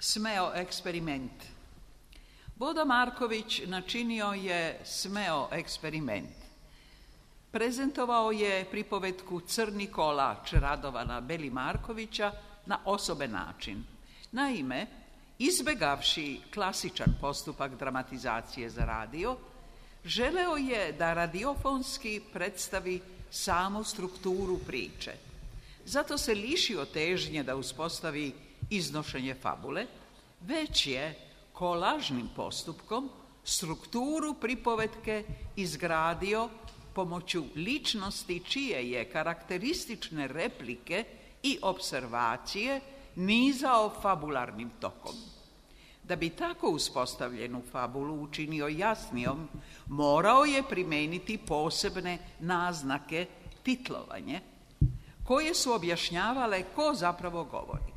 Smeo eksperiment. Bodo Marković načinio je smeo eksperiment. Prezentovao je pripovetku Crni kolač Radovana Beli-Markovića na osoben način. Naime, izbegavši klasičan postupak dramatizacije za radio, želeo je da radiofonski predstavi samu strukturu priče. Zato se lišio težnje da uspostavi iznošenje fabule, već je kolažnim postupkom strukturu pripovetke izgradio pomoću ličnosti čije je karakteristične replike i observacije nizao fabularnim tokom. Da bi tako uspostavljenu fabulu učinio jasnijom, morao je primeniti posebne naznake, titlovanje, koje su objašnjavale ko zapravo govori.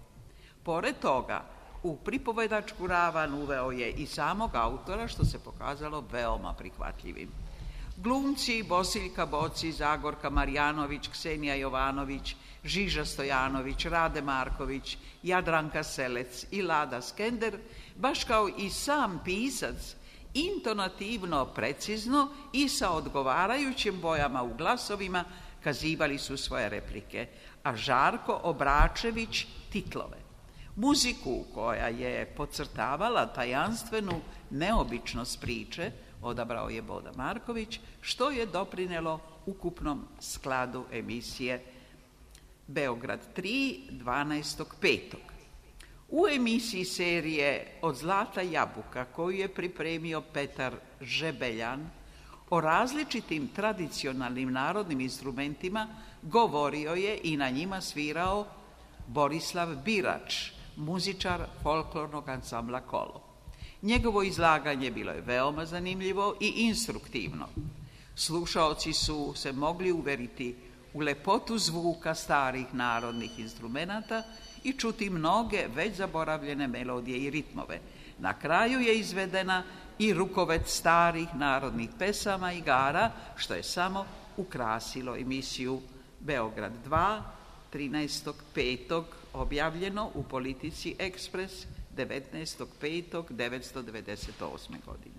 Pored toga, u pripovedačku ravan uveo je i samog autora, što se pokazalo veoma prihvatljivim. Glumci Bosiljka Boci, Zagorka Marjanović, Ksenija Jovanović, Žiža Stojanović, Rade Marković, Jadranka Selec i Lada Skender, baš kao i sam pisac, intonativno precizno i sa odgovarajućim bojama u glasovima kazivali su svoje replike, a Žarko Obračević titlove. Muziku koja je podcrtavala tajanstvenu neobičnost priče odabrao je Bodo Marković, što je doprinelo ukupnom skladu emisije Beograd 3, 12.5. U emisiji serije Od zlata jabuka, koju je pripremio Petar Žebeljan, o različitim tradicionalnim narodnim instrumentima govorio je i na njima svirao Borislav Birač, muzičar folklornog ansambla Kolo. Njegovo izlaganje bilo je veoma zanimljivo i instruktivno. Slušaoci su se mogli uveriti u lepotu zvuka starih narodnih instrumenata i čuti mnoge već zaboravljene melodije i ritmove. Na kraju je izvedena i rukovet starih narodnih pesama i igara, što je samo ukrasilo emisiju Beograd 2, 13.5. objavljeno u Politici Ekspres 19.5.1998. godine.